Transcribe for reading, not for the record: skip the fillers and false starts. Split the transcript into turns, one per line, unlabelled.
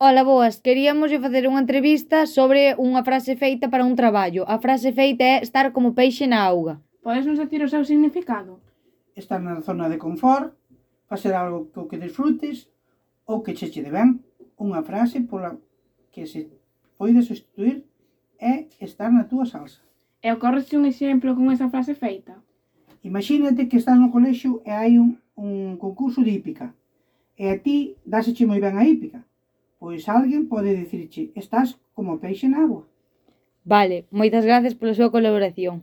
Ola, boas, queríamoslle facer unha entrevista sobre unha frase feita para un traballo. A frase feita é estar como peixe na auga.
Podes nos decir o seu significado?
Estar na zona de confort, facer algo que disfrutes ou que cheche de ben. Unha frase pola que se pode sustituir é estar na túa salsa.
E ocorrese un exemplo con esa frase feita?
Imagínate que estás no colexio e hai un concurso de hípica e a ti dáseche moi ben a hípica. Pois alguén pode dicirche, estás como peixe na agua.
Vale, moitas gracias pola súa colaboración.